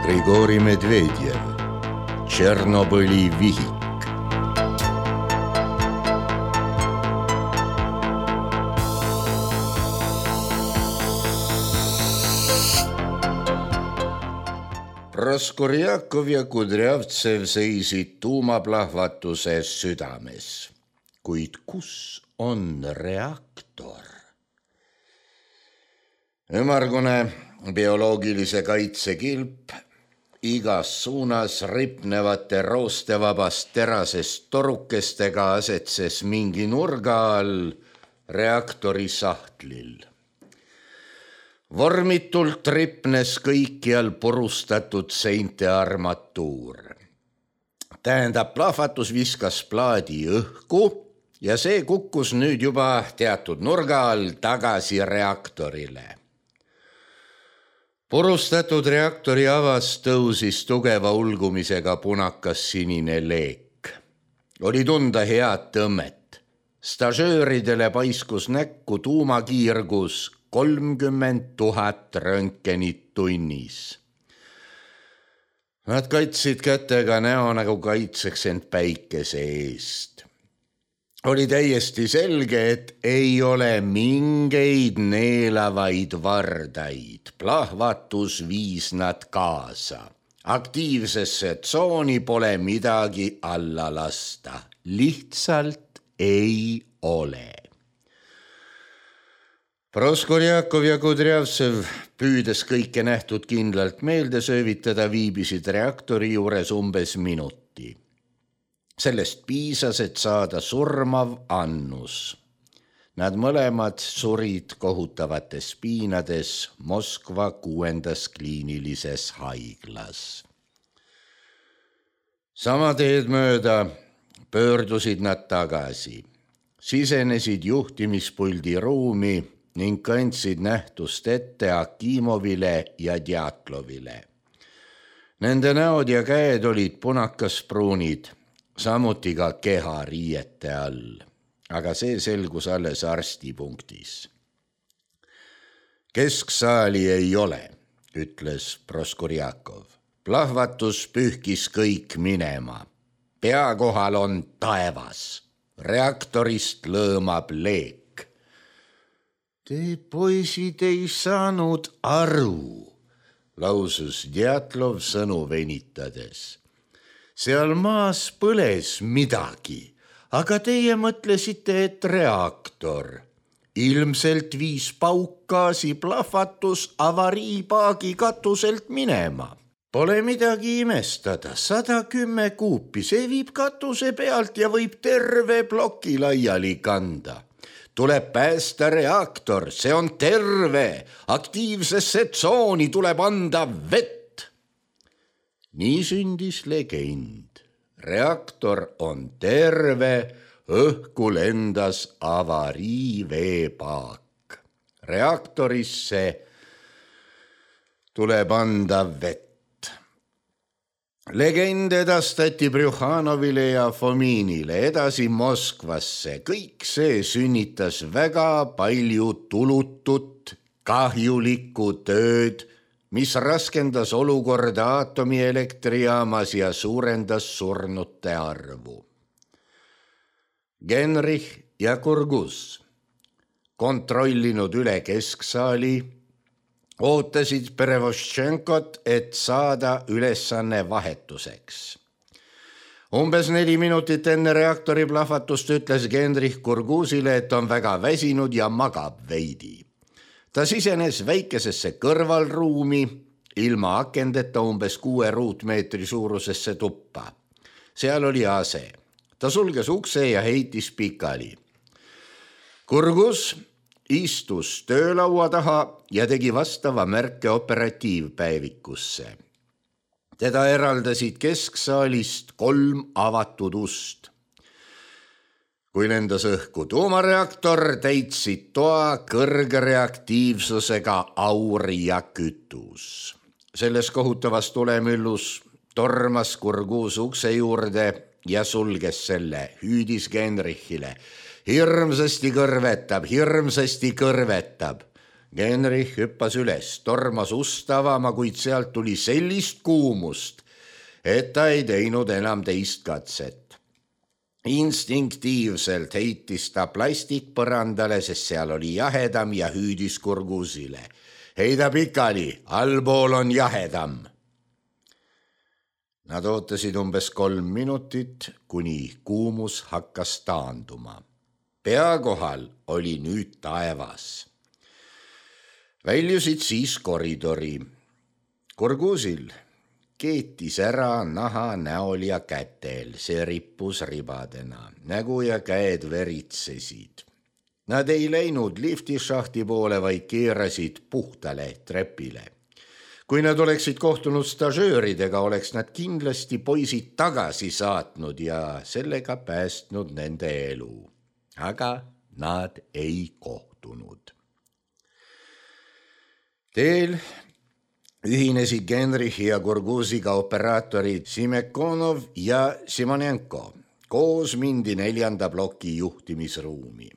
Grigori Medvedjev, Tšernobõli vihik. Proskorjakov ja Kudrjavtsev seisid tuumaplahvatuses südames. Kuid kus on reaktor? Ümmargune bioloogilise kaitse kilp igas suunas ripnevate roostevabast terasest torukestega asetses mingi nurga all reaktori sahtlil. Vormitult ripnes kõikjal purustatud seinte armatuur. Tähendab, plahvatus viskas plaadi õhku ja see kukkus nüüd juba teatud nurga all tagasi reaktorile. Purustatud reaktori avas tõusis tugeva ulgumisega punakas sinine leek. Oli tunda head tõmmet. Stažööridele paiskus näkku tuumakiirgus 30 000 röntgenit tunnis. Nad kaitsid kätega näo nagu kaitseks end päikese eest. Oli täiesti selge, et ei ole mingeid neelavaid vardaid. Plahvatus viis nad kaasa. Aktiivsesse tsooni pole midagi alla lasta. Lihtsalt ei ole. Proskorjakov ja Kudrjavtsev, püüdes kõike nähtud kindlalt meelde söövitada, viibisid reaktori juures umbes minuti. Sellest piisas, et saada surmav annus. Nad mõlemad surid kohutavates piinades Moskva 6. kliinilises haiglas. Sama teed mööda pöördusid nad tagasi. Sisenesid juhtimispuldi ruumi ning kandsid nähtust ette Akimovile ja Djatlovile. Nende näod ja käed olid punakaspruunid, samuti ka keha riiete all, aga see selgus alles arstipunktis. Kesksaali ei ole, ütles Proskorjakov. Plahvatus pühkis kõik minema. Pea kohal on taevas. Reaktorist lõõmab leek. Te poisid ei saanud aru, lausus Djatlov sõnu venitades. Seal maas põles midagi, aga teie mõtlesite, et reaktor. Ilmselt viis paukgaasi plahvatus avariipaagi katuselt minema. Pole midagi imestada, 110 kuupi, see viib katuse pealt ja võib terve ploki laiali kanda. Tuleb päästa reaktor, see on terve, aktiivsesse tsooni tuleb anda vett. Nii sündis legend. Reaktor on terve, õhku lendas avariiveepaak. Reaktorisse tuleb anda vett. Legend edastati Brjuhanovile ja Fominile, edasi Moskvasse. Kõik see sünnitas väga palju tulutut, kahjulikku tööd, mis raskendas olukorda aatomielektrijaamas ja suurendas surnute arvu. Genrich ja Kurgus, kontrollinud üle kesksaali, ootasid Perevoštšenkot, et saada ülesanne vahetuseks. Umbes 4 minutit enne reaktori plahvatust ütles Genrich Kurgusile, et on väga väsinud ja magab veidi. Ta sisenes väikesesse kõrvalruumi, ilma akendeta umbes 6 ruutmeetri suurusesse tuppa. Seal oli ase. Ta sulges ukse ja heitis pikali. Kurgus istus töölaua taha ja tegi vastava märke operatiivpäevikusse. Teda eraldasid kesksaalist 3 avatud ust. Kui lendas õhku tuumareaktor, täitsid toa kõrge reaktiivsusega aur ja kütus. Selles kohutavas tulemüllus tormas Kurgus ukse juurde ja sulges selle, hüüdis Genrichile. Hirmsasti kõrvetab. Genrich hüppas üles, tormas ust avama, kuid sealt tuli sellist kuumust, et ta ei teinud enam teist katset. Instinktiivselt heitis ta plastikpõrandale, sest seal oli jahedam ja hüüdis Gurguzile. Heida pikali, allpool on jahedam. Nad ootasid umbes 3 minutit, kuni kuumus hakkas taanduma. Pea kohal oli nüüd taevas. Väljusid siis koridori. Gurguzil keetis ära naha näol ja kätel, see rippus ribadena, nägu ja käed veritsesid. Nad ei läinud liftišahti poole, vaid keerasid puhtale trepile. Kui nad oleksid kohtunud stažööridega, oleks nad kindlasti poisid tagasi saatnud ja sellega päästnud nende elu. Aga nad ei kohtunud. Teel ühinesid Genrichi ja Gurguziga operaatorid Simekonov ja Simonenko. Koos mindi 4. ploki juhtimisruumi.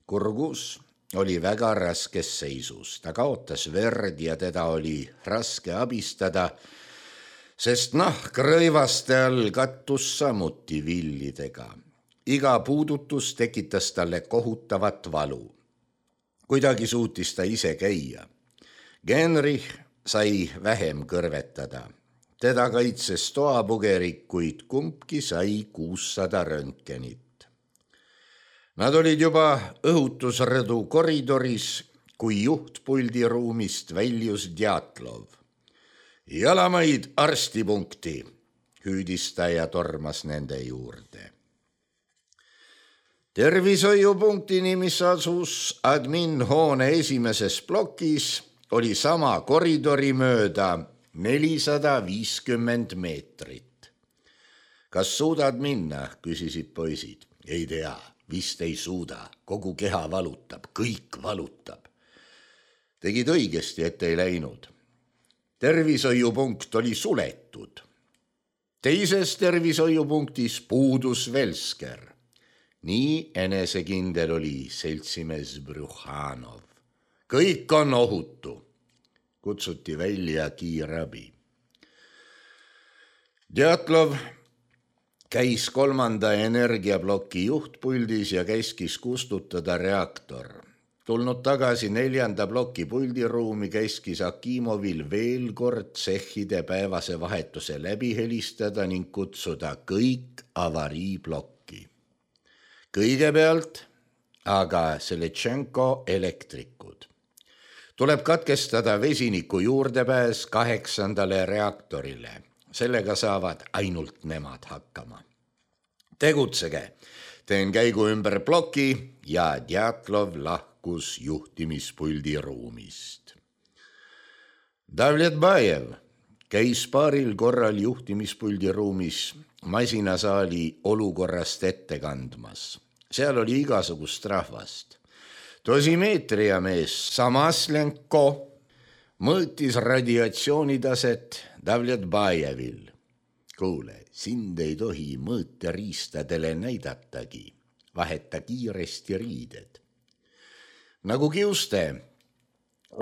Gurguz oli väga raskes seisus. Ta kaotas verd ja teda oli raske abistada, sest nahk rõivaste all kattus samuti villidega. Iga puudutus tekitas talle kohutavat valu. Kuidagi suutis ta ise käia. Genrich sai vähem kõrvetada. Teda kaitses toapugerik, kuid kumbki sai 600 röntgenit. Nad olid juba õhutusrõdu koridoris, kui juhtpuldi ruumist väljus Djatlov. Jalamaid arstipunkti, hüüdis ta ja tormas nende juurde. Tervishoiupunktini, mis asus adminhoone esimeses plokis, oli sama koridori mööda 450 meetrit. Kas suudad minna, küsisid poisid. Ei tea, vist ei suuda, kogu keha valutab, kõik valutab. Tegid õigesti, et ei läinud. Tervishoiupunkt oli suletud. Teises tervishoiupunktis puudus Velsker. Nii enesekindel oli seltsimees Brjuhanov. Kõik on ohutu. Kutsuti välja kiirabi. Djatlov käis 3. energiaploki juhtpuldis ja käskis kustutada reaktor. Tulnud tagasi 4. ploki puldiruumi, käskis Akimovil veel kord tsehhide päevase vahetuse läbi helistada ning kutsuda kõik avariiplokki. Kõigepealt aga Seletšenko elektrikud. Tuleb katkestada vesiniku juurdepääs 8. reaktorile. Sellega saavad ainult nemad hakkama. Tegutsege, teen käigu ümber ploki ja Djatlov lahkus juhtimispuldi ruumist. Davletbajev käis paaril korral juhtimispuldi ruumis masinasaali olukorrast ette kandmas. Seal oli igasugust rahvast. Dosimeetriamees Samaslenko mõõtis radiatsioonitaset Davletbajevil. Kuule, sind ei tohi mõõteriistadele näidatagi. Vaheta kiiresti riided. Nagu kiuste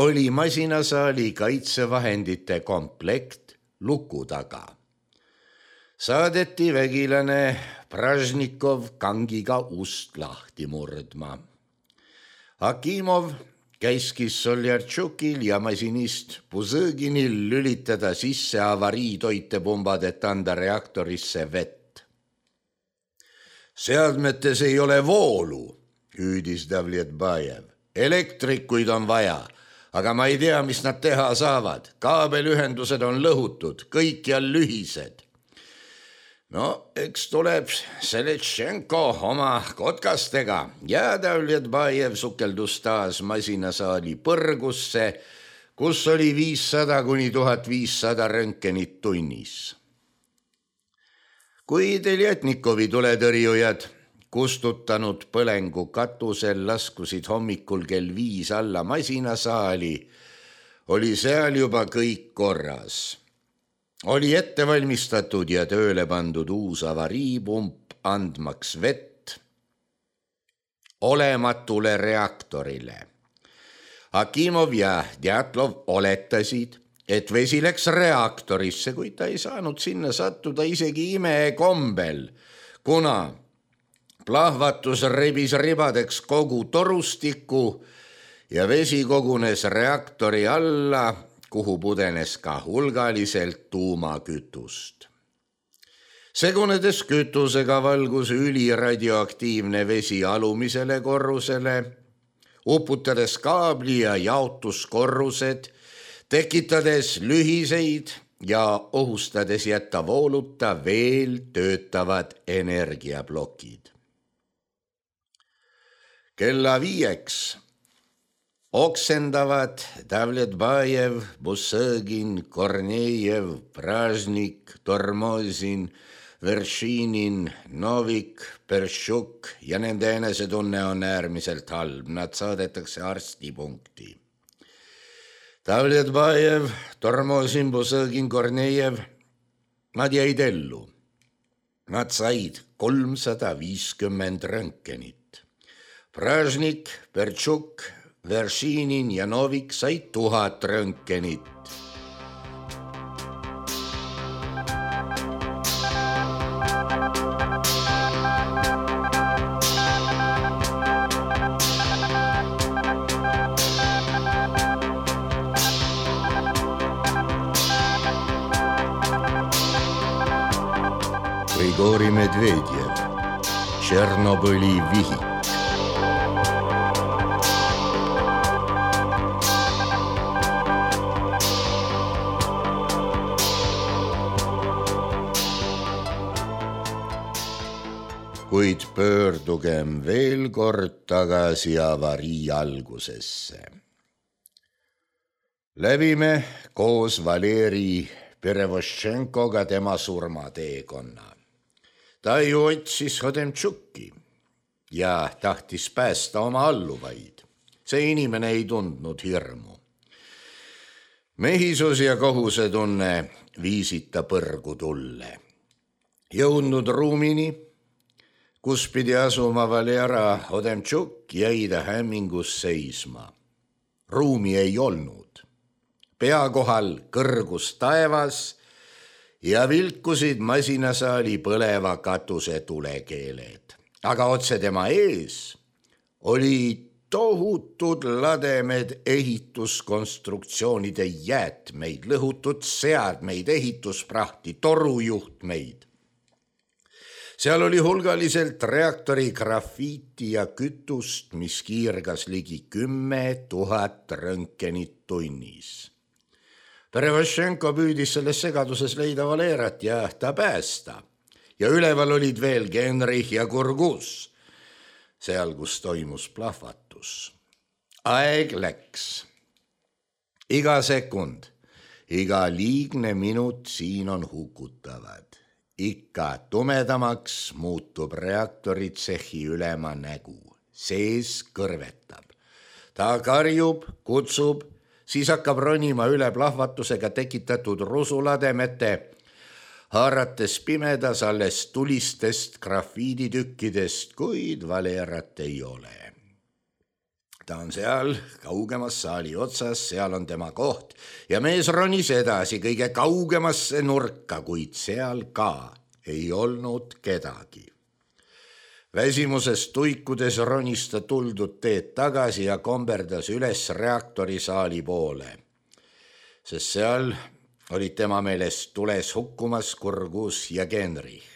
oli masinasaali kaitsevahendite komplekt luku taga. Saadeti vägilane Pražnikov kangiga ust lahti murdma. Akimov käskis Soljartšukil ja masinist Puzõginil lülitada sisse avariitoitepumbad, et anda reaktorisse vett. Seadmetes ei ole voolu, hüüdis Davletbajev. Elektrikuid on vaja, aga ma ei tea, mis nad teha saavad. Kaabelühendused on lõhutud, kõikjal lühised. No, eks tuleb Seletšenko oma kotkastega ja Davletbajev sukeldus taas masinasaali põrgusse, kus oli 500 kuni 1500 röntgenit tunnis. Kui Teljatnikovi tuletõrjujad kustutanud põlengu katusel laskusid hommikul kell 5 alla masinasaali, oli seal juba kõik korras. Oli ette valmistatud ja tööle pandud uus avariipump andmaks vett olematule reaktorile. Akimov ja Djatlov oletasid, et vesi läks reaktorisse, kuid ta ei saanud sinna sattuda isegi imekombel, kuna plahvatus rebis ribadeks kogu torustiku ja vesi kogunes reaktori alla, kuhu pudenes ka hulgaliselt tuumakütust. Segunedes kütusega valgus üliradioaktiivne vesi alumisele korrusele, uputades kaabli ja jaotuskorrused, tekitades lühiseid ja ohustades jätta vooluta veel töötavad energiaplokid. Kella 5 oksendavad Davletbajev, Busõgin, Kornejev, Pražnik, Tormozin, Veršinin, Novik, Peršuk ja nende enesetunne on äärmiselt halb. Nad saadetakse arstipunkti. Davletbajev, Tormozin, Busõgin, Kornejev, nad jäid ellu. Nad said 350 röntgenit. Pražnik, Peršuk, Veršinin ja Novik said 1000 röntgenit. Grigori Medvedjev, Tšernobõli vihik. Kuid pöördugem veel kord tagasi avarii algusesse. Läbime koos Valeri Perevoščenkoga tema surmateekonna. Ta ju otsis Hodemtšuki ja tahtis päästa oma alluvaid. See inimene ei tundnud hirmu. Mehisus ja kohusetunne viisid ta põrgu tulle. Jõudnud ruumini, kus pidi asuma Valera Hodemtšuk, jäi ta hämmingus seisma. Ruumi ei olnud. Pea kohal kõrgus taevas ja vilkusid masinasaali põleva katuse tulekeeled. Aga otse tema ees oli tohutud lademed ehituskonstruktsioonide jäätmeid, lõhutud seadmeid, ehitusprahti, torujuhtmeid. Seal oli hulgaliselt reaktori grafiiti ja kütust, mis kiirgas ligi 10 000 röntgenit tunnis. Perevoščenko püüdis selles segaduses leida Valerat ja ta päästa. Ja üleval olid veel Genrich ja Kurgus, seal kus toimus plahvatus. Aeg läks. Iga sekund, iga liigne minut siin on hukutavad. Ikka tumedamaks muutub reaktoritsehi ülema nägu. Sees kõrvetab. Ta karjub, kutsub, siis hakkab ronima üle plahvatusega tekitatud rusulademete, haarates pimedas alles tulistest grafiiditükkidest, kuid Valerat ei ole. Ta on seal kaugemas saali otsas, seal on tema koht ja mees ronis edasi kõige kaugemasse nurka, kuid seal ka ei olnud kedagi. Väsimusest tuikudes ronis ta tuldud teed tagasi ja komberdas üles reaktorisaali poole, sest seal olid tema meelest tules hukkumas Kurgus ja Genrich.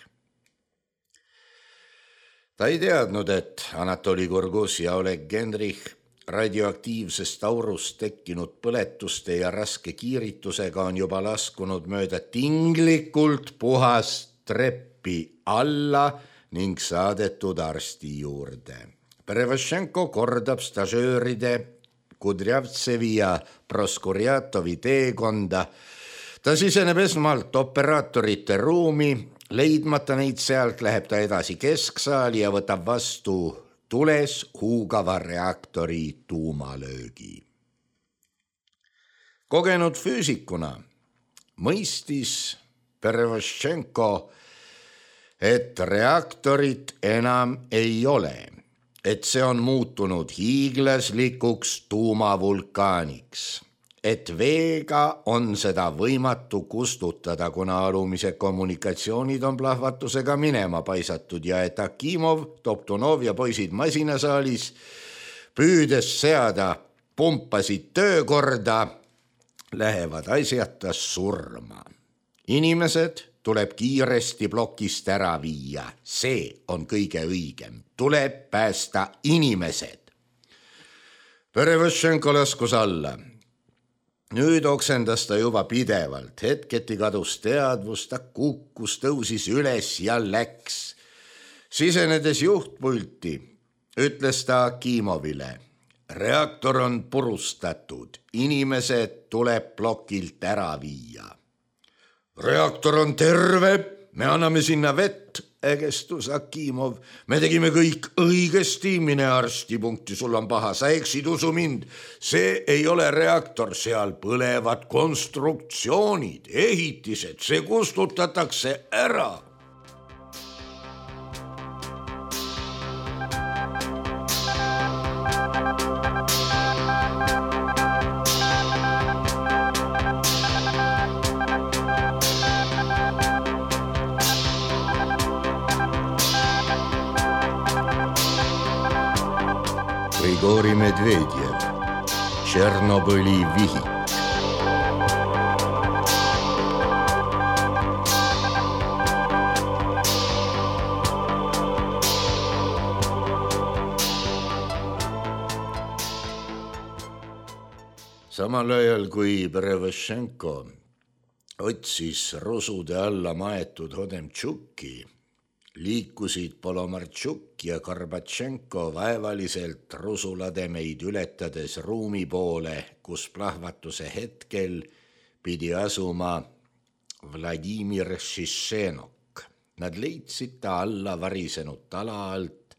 Ta ei teadnud, et Anatoli Kurgus ja Oleg Genrich radioaktiivsest aurust tekkinud põletuste ja raske kiiritusega on juba laskunud mööda tinglikult puhast treppi alla ning saadetud arsti juurde. Perevoščenko kordab stažööride Kudrjavtsevi ja Proskurjatovi teekonda. Ta siseneb esmalt operaatorite ruumi, leidmata neid sealt läheb ta edasi kesksaali ja võtab vastu tules huugava reaktori tuumalöögi. Kogenud füüsikuna mõistis Perevoščenko, et reaktorit enam ei ole et see on muutunud hiiglaslikuks tuumavulkaaniks, et veega on seda võimatu kustutada, kuna alumised kommunikatsioonid on plahvatusega minema paisatud ja et Akimov, Toptunov ja poisid masinasaalis püüdes seada pumpasid töökorda, lähevad asjata surma. Inimesed tuleb kiiresti plokist ära viia, see on kõige õigem, tuleb päästa inimesed. Perevõšenko laskus alla. Nüüd oksendas ta juba pidevalt, hetketi kadus teadvus, ta kukkus, tõusis üles ja läks. Sisenedes juhtpulti ütles ta Akimovile: reaktor on purustatud, inimesed tuleb plokilt ära viia. Reaktor on terve, me anname sinna vett, ägestus Akimov. Me tegime kõik õigesti, mine arstipunkti, sul on paha, sa eksid, usu mind. See ei ole reaktor, seal põlevad konstruktsioonid, ehitised, see kustutatakse ära. Grigori Medvedjev, Tšernobõli vihik. Samal ajal kui Perevõšenko otsis rusude alla maetud Hodemtšuki, liikusid Polomartšuk ja Gorbatšenko vaevaliselt rusulademeid ületades ruumi poole, kus plahvatuse hetkel pidi asuma Vladimir Šišenok. Nad leidsid ta alla varisenud tala alt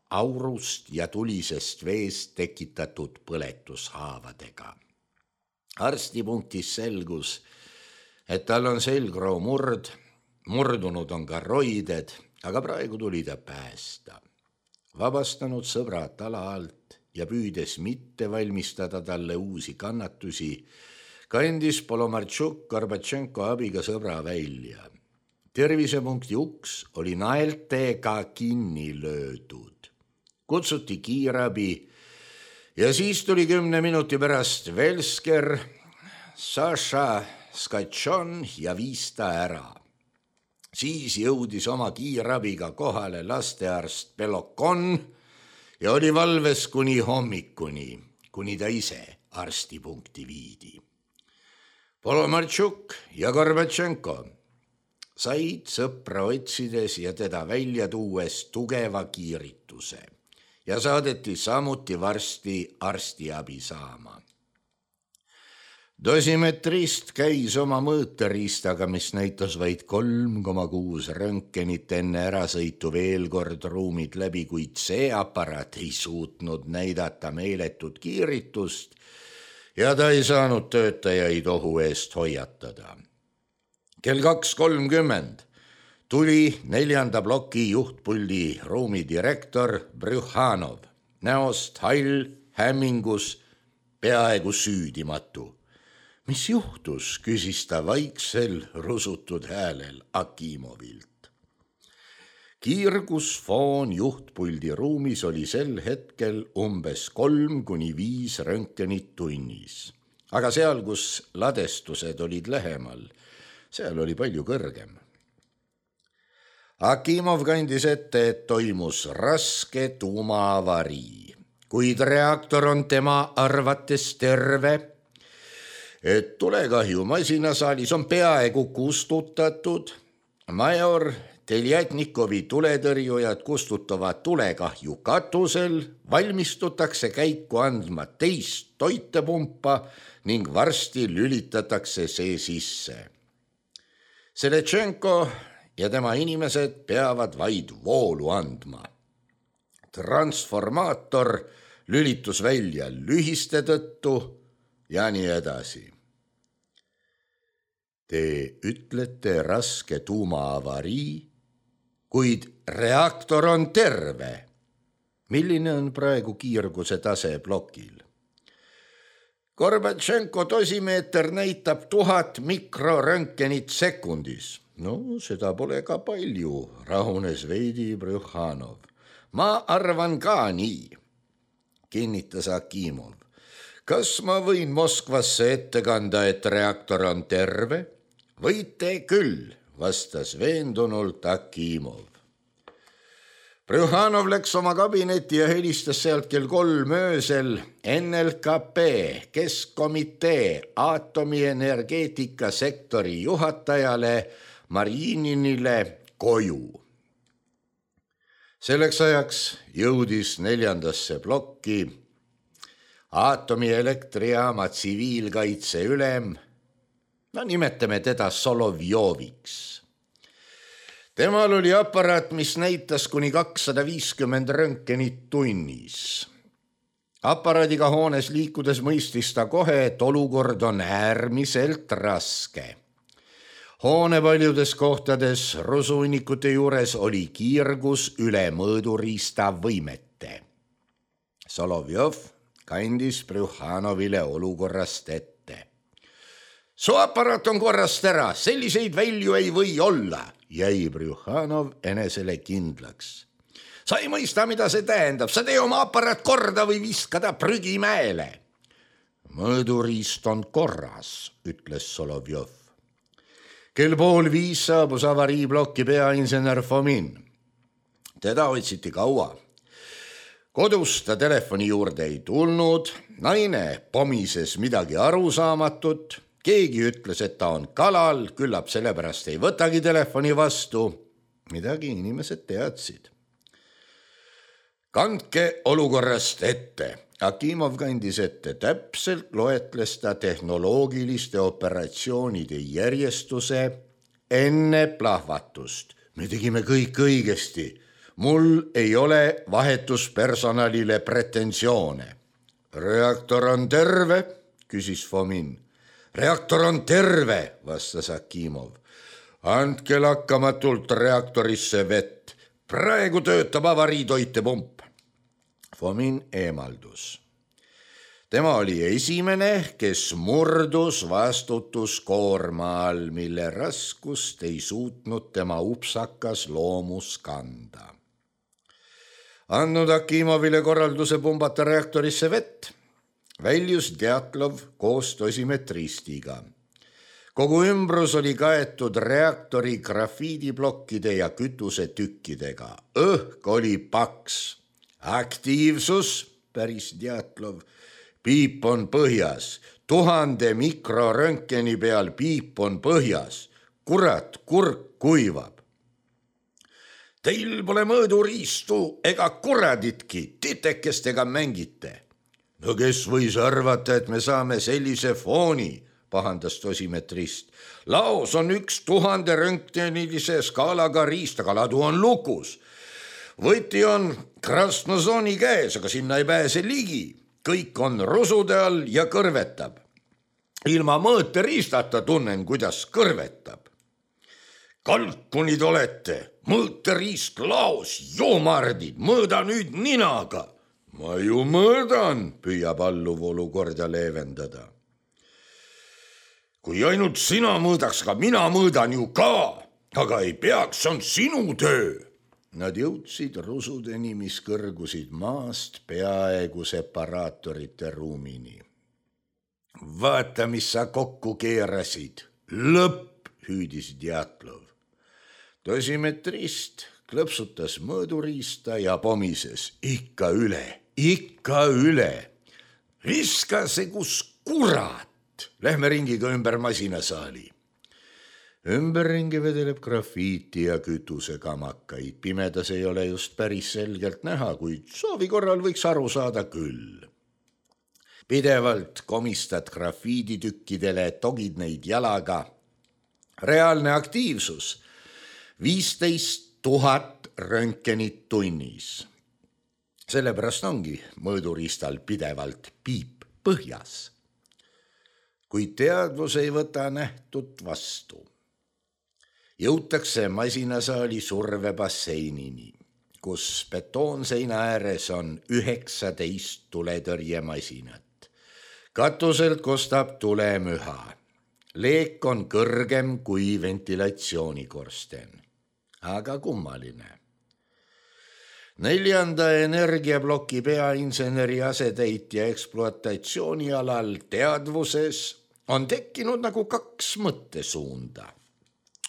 aurust ja tulisest veest tekitatud põletushaavadega. Arstipunktis selgus, et tal on selgroo murdunud on ka roided, aga praegu tuli ta päästa. Vabastanud sõbrad tala alt ja püüdes mitte valmistada talle uusi kannatusi, kandis Polomartšuk Gorbatšenko abiga sõbra välja. Tervisepunkti uks oli naeltega kinni löödud. Kutsuti kiirabi ja siis tuli 10 minuti pärast Velsker, Saša Skatšon ja viis ta ära. Siis jõudis oma kiirabiga kohale lastearst Belokon ja oli valves kuni hommikuni, kuni ta ise arstipunkti viidi. Polomartšuk ja Gorbatšenko said sõpra otsides ja teda välja tuues tugeva kiirituse ja saadeti samuti varsti arstiabi saama. Dosimetrist käis oma mõõteriistaga, mis näitas vaid 3,6 röntgenit enne ärasõitu veel kord ruumid läbi, kuid see aparaat ei suutnud näidata meeletut kiiritust ja ta ei saanud töötajaid ohu eest hoiatada. Kell 2:30 tuli 4. ploki juhtpuldi ruumidirektor Brjuhanov, näost hall, hämmingus, peaaegu süüdimatu. Mis juhtus, küsis ta vaiksel rusutud häälel Akimovilt. Kiirgusfoon juhtpuldi ruumis oli sel hetkel umbes 3-5 röntgenit tunnis. Aga seal, kus ladestused olid lähemal, seal oli palju kõrgem. Akimov kandis ette, et toimus raske tuumaavarii, kuid reaktor on tema arvates terve, et tulekahju masinasaalis on peaaegu kustutatud. Major Teljatnikovi tuletõrjujad kustutavad tulekahju katusel, valmistutakse käiku andma teist toitepumpa ning varsti lülitatakse see sisse. Seletšenko ja tema inimesed peavad vaid voolu andma. Transformaator lülitus välja lühiste tõttu ja nii edasi. Te ütlete raske tuumaavarii, kuid reaktor on terve. Milline on praegu kiirguse tase plokil? Gorbatšenko dosimeeter näitab 1000 mikroröntgenit sekundis. No, seda pole ka palju, rahunes veidi Brjuhanov. Ma arvan ka nii, kinnitas Akimov. Kas ma võin Moskvasse ette kanda, et reaktor on terve? Võite küll, vastas veendunult Akimov. Brjuhanov läks oma kabinetti ja helistas sealt kell 3 öösel NLKP Keskkomitee aatomienergeetika sektori juhatajale Marjininile koju. Selleks ajaks jõudis 4. plokki aatomieelektrijaama tsiviilkaitse ülem, nimetame teda Solovjoviks. Temal oli aparaat, mis näitas kuni 250 röntgenit tunnis. Aparaadiga hoones liikudes mõistis ta kohe, et olukord on äärmiselt raske. Hoone paljudes kohtades rusuinnikute juures oli kiirgus üle mõõduriista võimete. Solovjov kandis Brjuhanovile olukorrast ette. Su aparaat on korrast ära, selliseid välju ei või olla, jäi Brjuhanov enesele kindlaks. Sa ei mõista, mida see tähendab, sa tee oma aparaat korda või viska ta prügimäele. Mõõduriist on korras, ütles Solovjov. Kell 4:30 saabus avariiplokki peainsener Fomin. Teda otsiti kaua. Kodus ta telefoni juurde ei tulnud, naine pomises midagi arusaamatut, keegi ütles, et ta on kalal, küllap sellepärast ei võtagi telefoni vastu. Midagi inimesed teadsid. Kandke olukorrast ette. Akimov kandis ette, täpselt loetles ta tehnoloogiliste operatsioonide järjestuse enne plahvatust. Me tegime kõik õigesti. Mul ei ole vahetuspersonalile pretensioone. Reaktor on terve, küsis Fomin. Reaktor on terve, vastas Akimov. Andke lakkamatult reaktorisse vett. Praegu töötab avariitoitepump. Fomin eemaldus. Tema oli esimene, kes murdus vastutuskoorma all, mille raskust ei suutnud tema upsakas loomus kanda. Andnud Akimovile korralduse pumbata reaktorisse vett, väljus Djatlov koos dosimetristiga. Kogu ümbrus oli kaetud reaktori grafiidiblokkide ja kütusetükkidega. Õhk oli paks. Aktiivsus, päris Djatlov. Piip on põhjas. 1000 mikroröntgeni peal piip on põhjas. Kurat, kurk kuivab. Teil pole mõõduriistu ega kuraditki, titekestega mängite. No kes võis arvata, et me saame sellise fooni, pahandas dosimetrist. Laos on 1000 röntgenilise skaalaga riist, aga ladu on lukus. Võti on Krasnozooni käes, aga sinna ei pääse ligi. Kõik on rusude all ja kõrvetab. Ilma mõõteriistata tunnen, kuidas kõrvetab. Kalkunid olete, mõõteriist laos, joomardid, mõõda nüüd ninaga. Ma ju mõõdan, püüab alluv olukorda leevendada. Kui ainult sina mõõdaks, ka mina mõõdan ju ka, aga ei peaks, see on sinu töö. Nad jõudsid rusudeni, mis kõrgusid maast peaaegu separaatorite ruumini. Vaata, mis sa kokku keerasid. Lõpp, hüüdis Djatlov. Dosimetrist klõpsutas mõõduriista ja pomises. Ikka üle. Viska see kus kurat. Lähme ringiga ümber masinasaali. Ümberringi vedeleb grafiiti ja kütusekamakaid. Pimedas ei ole just päris selgelt näha, kuid soovi korral võiks aru saada küll. Pidevalt komistad grafiiditükkidele, togid neid jalaga. Reaalne aktiivsus 15 000 röntgenit tunnis. Sellepärast ongi mõõduriistal pidevalt piip põhjas. Kuid teadvus ei võta nähtut vastu. Jõutakse masinasaali survebasseinini. kus betoonseina ääres on 19 tuletõrjemasinat. Katuselt kostab tulemüha. Leek on kõrgem kui ventilatsioonikorsten. Aga kummaline. 4. energiaploki peainseneri asetäitja ekspluatatsioonialal teadvuses on tekkinud nagu 2 mõttesuunda.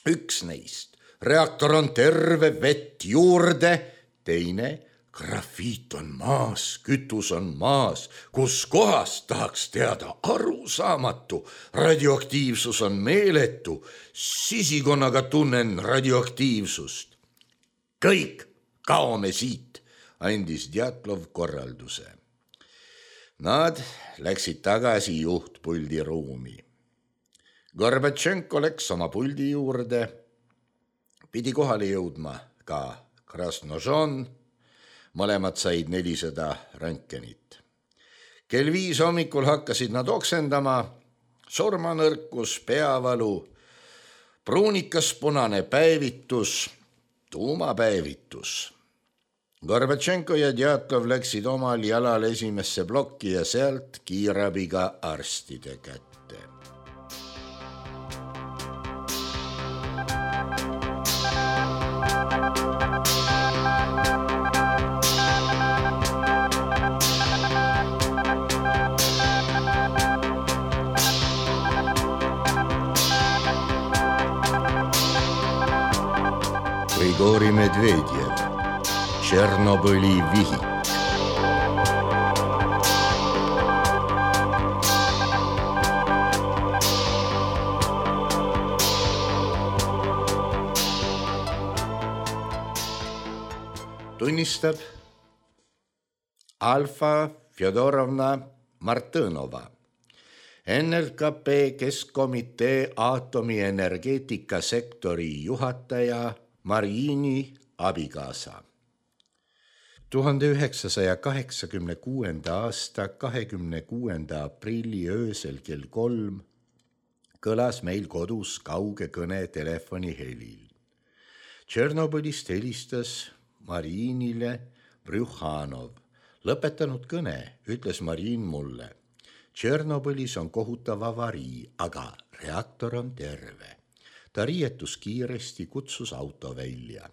Üks neist, reaktor on terve, vett juurde, teine, grafiit on maas, kütus on maas, kus kohas tahaks teada, arusaamatu, radioaktiivsus on meeletu, sisikonnaga tunnen radioaktiivsust. Kõik kaome siit, andis Djatlov korralduse. Nad läksid tagasi juhtpuldi ruumi. Gorbatšenko läks oma puldi juurde, pidi kohale jõudma ka Krasnožon, mõlemad said 400 röntgenit. Kell 5 hommikul hakkasid nad oksendama, surmanõrkus, peavalu, pruunikas punane päevitus, tuumapäevitus. Gorbatšenko ja Djatlov läksid omal jalal esimesse plokki ja sealt kiirabiga arstide kätte. Grigori Medvedjev, Tšernobõli vihik. Tunnistab Alfa Fjodorovna Martõnova, NLKP Keskkomitee aatomienergeetikasektori juhataja Marini abikaasa. 1986. aasta 26. aprilli öösel kell 3 kõlas meil kodus kauge kõne telefonihelil. Tšernobõlist helistas Marinile Brjuhanov. Lõpetanud kõne, ütles Marin mulle. Tšernobõlis on kohutav avarii, aga reaktor on terve. Ta riietus kiiresti, kutsus auto välja.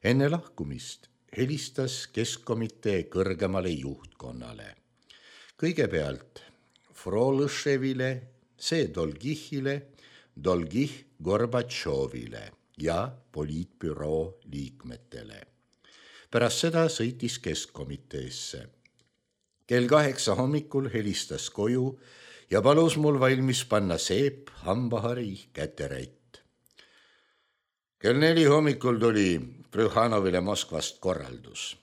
Enne lahkumist helistas Keskkomitee kõrgemale juhtkonnale. Kõigepealt Frolõševile, see Dolgihile, Dolgih Gorbatšovile ja poliitbüroo liikmetele. Pärast seda sõitis Keskkomiteesse. Kell 8 hommikul helistas koju ja palus mul valmis panna seep, hambahari, käterätt. Kell 4 hommikul tuli Brjuhanovile Moskvast korraldus.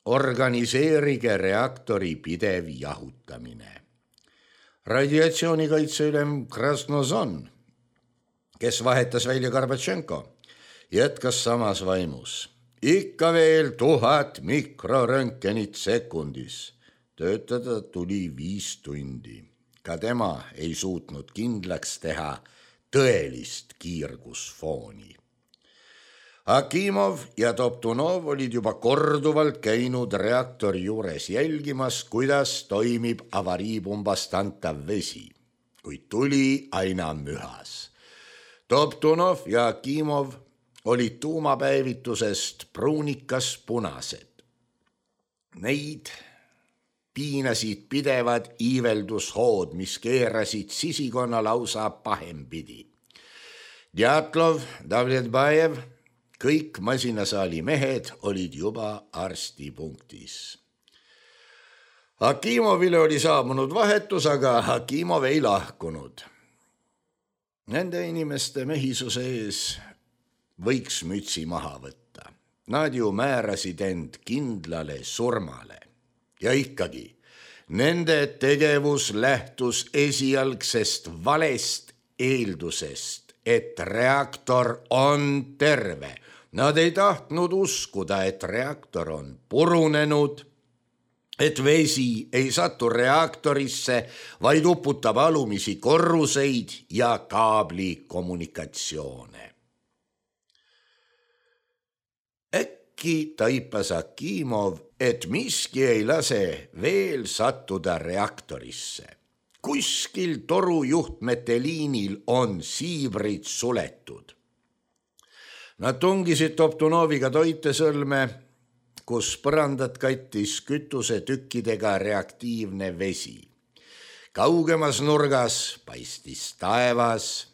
Organiseerige reaktori pidev jahutamine. Radiatsioonikaitseülem Krasnožon, kes vahetas välja Gorbatšenko, jätkas samas vaimus. Ikka veel 1000 mikroröntgenit sekundis. Töötada tuli 5 tundi. Ka tema ei suutnud kindlaks teha tõelist kiirgusfooni. Akimov ja Toptunov olid juba korduvalt käinud reaktori juures jälgimas, kuidas toimib avariipumbast antav vesi, kuid tuli aina mühas. Toptunov ja Akimov olid tuumapäevitusest pruunikas punased. Neid piinasid pidevad iiveldushood, mis keerasid sisikonna lausa pahempidi. Djatlov, Davletbajev, kõik masinasaali mehed olid juba arstipunktis. Akimovile oli saabunud vahetus, aga Akimov ei lahkunud. Nende inimeste mehisuse ees võiks mütsi maha võtta. Nad ju määrasid end kindlale surmale. Ja ikkagi, nende tegevus lähtus esialgsest valest eeldusest, et reaktor on terve. Nad ei tahtnud uskuda, et reaktor on purunenud, et vesi ei satu reaktorisse, vaid uputab alumisi korruseid ja kaabli kommunikatsioone. äkki taipas Akimov, et miski ei lase veel sattuda reaktorisse. Kuskil torujuhtmete liinil on siibrid suletud. Nad tungisid Toptunoviga Toitesõlme, kus põrandat kattis kütusetükkidega reaktiivne vesi. Kaugemas nurgas paistis taevas.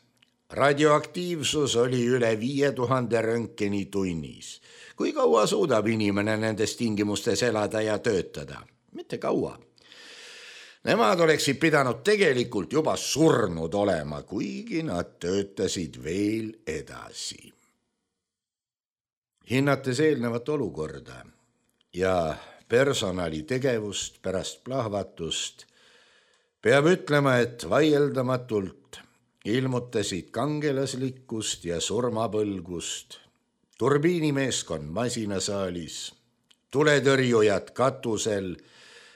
Radioaktiivsus oli üle 5000 röntgeni tunnis. Kui kaua suudab inimene nendes tingimustes elada ja töötada? Mitte kaua. Nemad oleksid pidanud tegelikult juba surnud olema, kuigi nad töötasid veel edasi. Hinnates eelnevat olukorda ja personali tegevust pärast plahvatust, peab ütlema, et vaieldamatult ilmutasid kangelaslikkust ja surmapõlgust turbiinimeeskond masinasaalis, tuletõrjujad katusel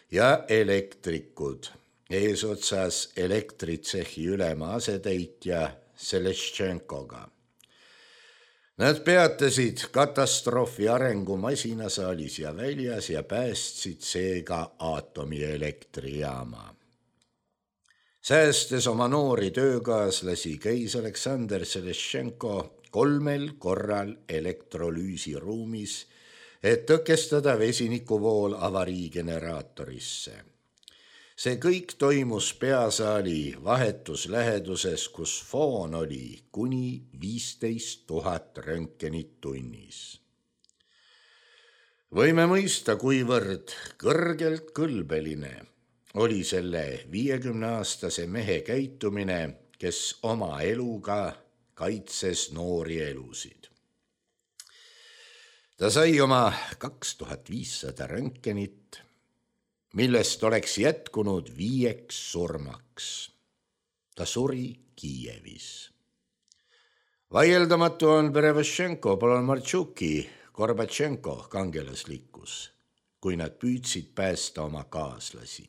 ja elektrikud, eesotsas elektritsehi ülema asetäitja Seleščenkoga. Nad peatasid katastroofi arengu masinasaalis ja väljas ja päästsid seega aatomielektrijaama. Säästes oma noori töökaaslasi käis Aleksandr Seleščenko 3 korral elektrolüüsiruumis, et tõkestada vesinikuvool avariigeneraatorisse. See kõik toimus peasaali vahetus läheduses, kus foon oli kuni 15 000 röntgenit tunnis. Võime mõista, kuivõrd kõrgelt kõlbeline oli selle 50-aastase mehe käitumine, kes oma eluga kaitses noori elusid. Ta sai oma 2500 röntgenit, millest oleks jätkunud 5 surmaks. Ta suri Kiievis. Vaieldamatu on Perevošenko, Polomartšuki, Gorbatšenko kangelaslikkus, kui nad püüdsid päästa oma kaaslasi.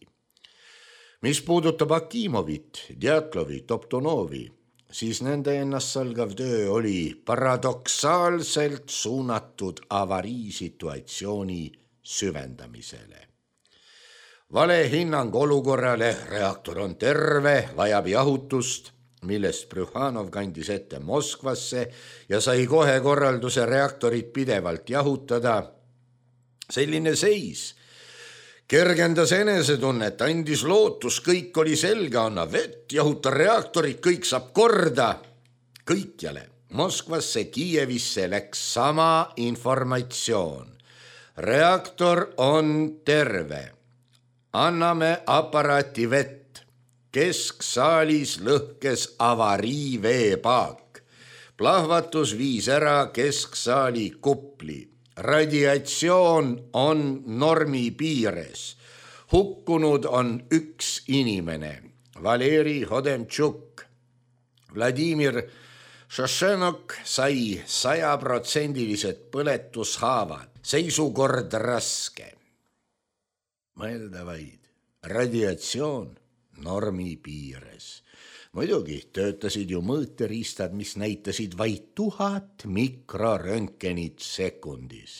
Mis puudutab Akimovit, Djatlovi, Toptunovi, siis nende ennastsalgav töö oli paradoksaalselt suunatud avariisituatsiooni süvendamisele. Vale hinnang olukorrale, reaktor on terve, vajab jahutust, millest Brühhanov kandis ette Moskvasse ja sai kohe korralduse reaktorit pidevalt jahutada. Selline seis kergendas enesetunnet, andis lootus, kõik oli selge, anna vett, jahuta reaktorit, kõik saab korda. Kõikjale, Moskvasse, Kiievisse läks sama informatsioon. Reaktor on terve. Anname aparaati vett. Kesksaalis lõhkes avariiveepaak. Plahvatus viis ära kesksaali kupli. Radiatsioon on normi piires. Hukkunud on 1 inimene, Valeri Hodemtšuk. Vladimir Šošenok sai 100% põletushaavad, seisukord raske. Mõelda vaid, radiatsioon normi piires. Muidugi töötasid ju mõõteriistad, mis näitasid vaid 1000 mikroröntgenit sekundis.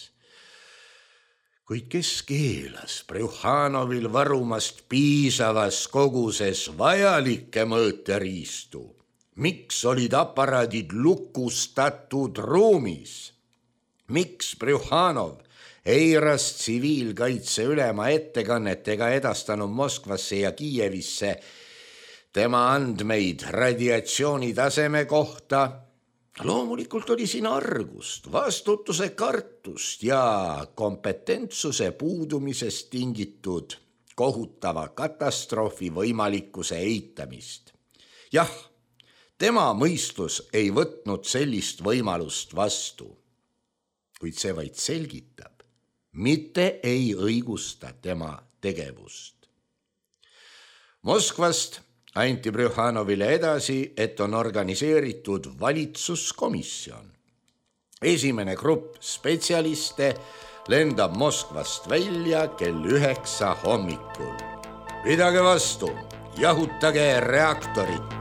Kuid kes keelas Brühhanovil varumast piisavas koguses vajalikke mõõteriistu? Miks olid aparaadid lukustatud ruumis? Miks Brühhanov eiras tsiviilkaitse ülema ettekannet ega edastanud Moskvasse ja Kiievisse tema andmeid radiatsiooni taseme kohta? Loomulikult oli siin argust, vastutuse kartust ja kompetentsuse puudumisest tingitud kohutava katastroofi võimalikkuse eitamist. Jah, tema mõistus ei võtnud sellist võimalust vastu, kuid see vaid selgitab, mitte ei õigusta tema tegevust. Moskvast anti Brühhanovile edasi, et on organiseeritud valitsuskomisjon. Esimene grupp spetsialiste lendab Moskvast välja kell 9 hommikul. Pidage vastu, jahutage reaktorit.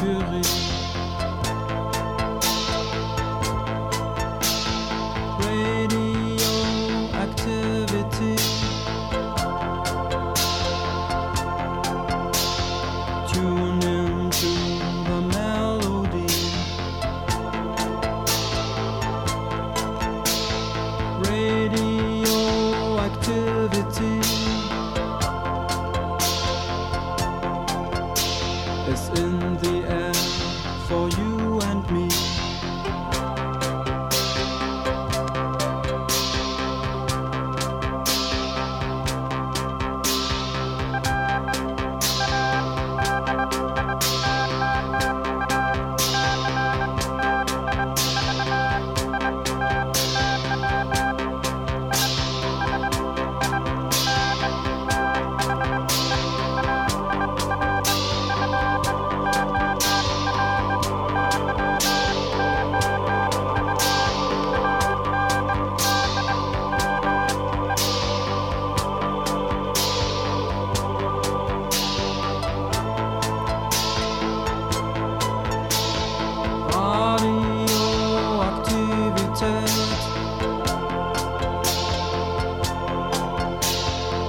Mercury. Radioactivity. Tune into the melody. Radioactivity is in the air for you and me.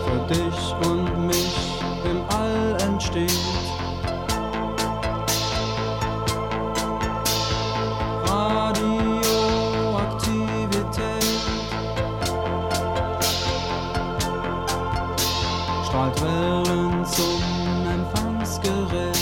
Für dich und mich im All entsteht. Radioaktivität strahlt Wellen zum Empfangsgerät.